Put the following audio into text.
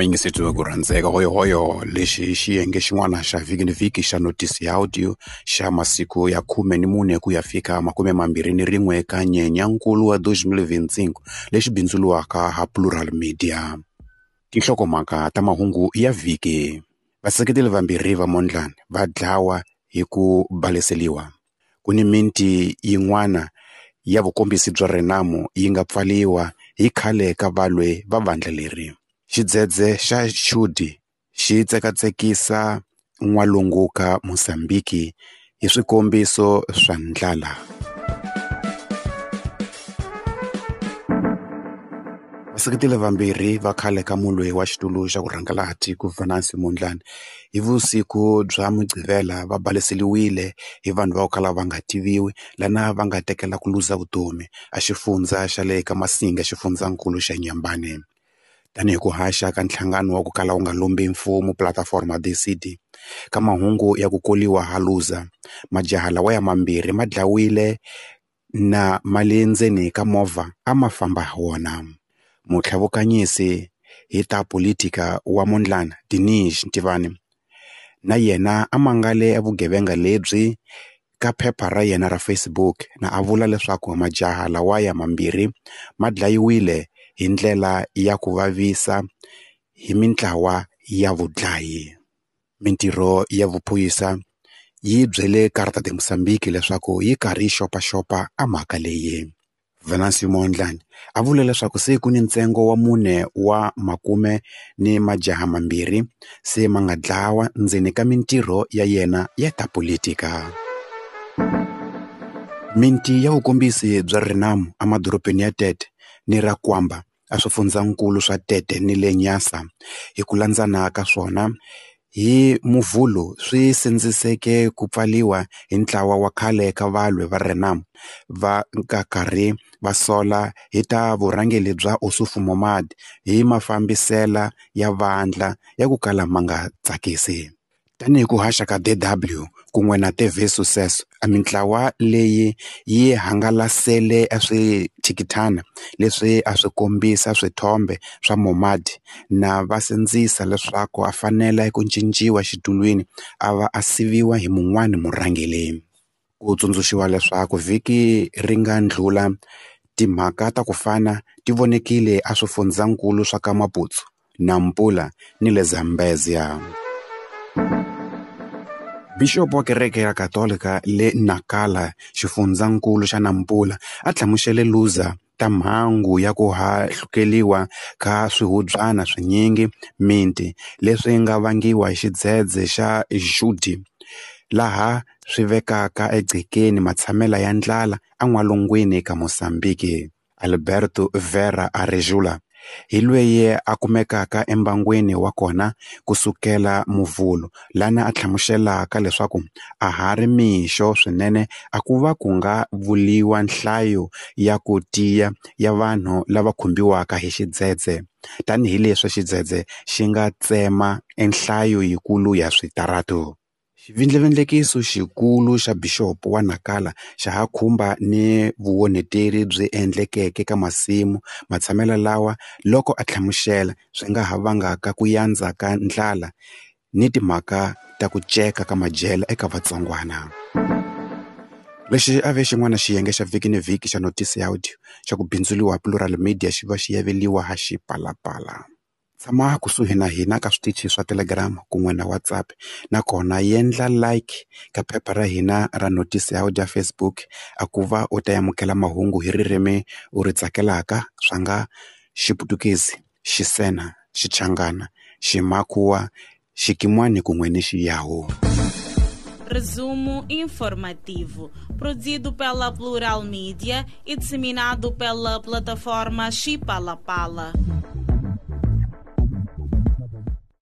Vayingiseti va ku rhandzeka hoyohoyo lexi i xiyenge xin'wana xa vhiki ni vhiki xa notisi ya audio xa masiku ya 14 ku ya fika 21 ka Nyenyankulu wa 2025 lexi bindzuriwaka ha Plural Media. Tinhlokomhaka ta mahungu ya vhiki. Vaseketeli vambirhi va Mondlane va dlawa hi ku baleseliwa. Ku ni miti yin'wana ya vukombisi bya Renamo yi nga pfaliwa hi khale ka valwi va vandla leri. Xidzedze xa Judy xi tsekatsekisa n'walungu ka Mozambiki hi swikombiso swa ndlala. Vaseketeli vambirhi va khale ka mulwi wa xitulu xa ku rhangela tiko Venancio Mondlane hi vusiku bya Mugqivela va baleseliwile hi vanhu va ku kala va nga tiviwi lana va nga tekela ku luza vutomi a xifundza xa le ka Masinga xifundzankulu xa Nyambane. Tanihi ku haxa ka nhlangano wa ku kala wu nga lombi mfumo Plataforma DCD ka mahungu ya ku koliwa ha luza majaha lawa ya mambirhi ma dlawile na ma le ndzeni ka movha a ma famba ha wona. Mutlhavukanyisi hi ta politika wa Mondlane Dinis Ntivani na yena a mangale vugevenga lebyi ka phepha ra yena ra Facebook na a vula leswaku majaha lawaya mambirhi ma dlayiwile hi ndlela ya ku vavisa hi mintlawa ya vudlayi. Mintirho ya vuphorisa yi byele Carta de Mozambique leswaku yi karhi yi xopaxopa a mhaka leyi. Venancio Mondlane a vule leswaku se ku ni ntsengo wa 4 wa makume ni majaha mambirhi se ma nga dlawa ndzeni ka mintirho ya yena ya ta politika. Minti ya vukombisi bya Renamo emadorobeni ya Tete ni ra Kwamba a swifundzankulu swa Tete ni le Nyasa hi ku landzana ka swona hi Muvhulu swi sindziseke ku pfaliwa hi ntlawa wa khale ka valwi va Renamo va karhi va sola hi ta vurhangeri bya Ossufo Momad hi mafambisela ya vandla ya ku kala ma nga tsakisi. Tanihi ku haxa ka DW kun'we na TV Sucesso, a mintlawa leyi yi hangalasele a swithikithana leswi a swi kombisa swithombe swa Momad na va sindzisa leswaku a fanele ku cinciwa xitulwini a va a siviwa hi mun'wana murhangeri. Ku tsundzuxiwa leswaku vhiki ri nga ndlhula timhaka ta ku fana ti vonekile a swifundzankulu swa ka Maputo, Nampula ni le Zambezia. Bixopo wa kereke ya Katolika le Nacala xifundzankulu xa Nampula a hlamusele Luza ta mhangu ya ku hahlukeliwa ka swihubyana swinyingi minti leswi nga vangiwa hi xidzedze xa Judy laha swi vekaka egcekeni matshamela ya ndlala en'walungwini ka Mozambiki. Alberto Vera Arejula hi lweyi a kumekaka embangwini wa kona kusukela Muvhulu lana a hlamuselaka leswaku a ha ri mixo swinene a ku va ku nga vuliwa nhlayo ya ku tiya ya vanhu lava khumbiwaka hi xidzedze tanihileswi xidzedze xi nga tsema enhlayo yikulu ya switaratu. Xivindlavindlekiso xikulu xa bixopo wa Nacala xa ha khumba ni vuonheteri byi endlekeke ka masimu matshamelo lawa loko a hlamusela swi nga ha vangaka ku yandza ka ndlala ni timhaka ta ku ceka ka madyelo eka vatsongwana. Lexi a ve xin'wana xiyenge xa vhiki ni vhiki xa notisi ya audio xa ku bindzuriwa Plural Media xi va xi yaveliwa ha Xipalapala. Tshama kusuhi na hina ka switichi swa Telegram kun'we na WhatsApp nakona yendla like ka phepha ra hina ra notisi ya audio ya Facebook a ku va u ta amukela mahungu hi ririmi u ri tsakelaka swa nga Xiputukezi, Xisena, Xichangana, Ximakhuwa, Xikimwani kun'we ni Xiyawu. Resumo informativo, produzido pela Plural Mídia e disseminado pela plataforma Xipalapala.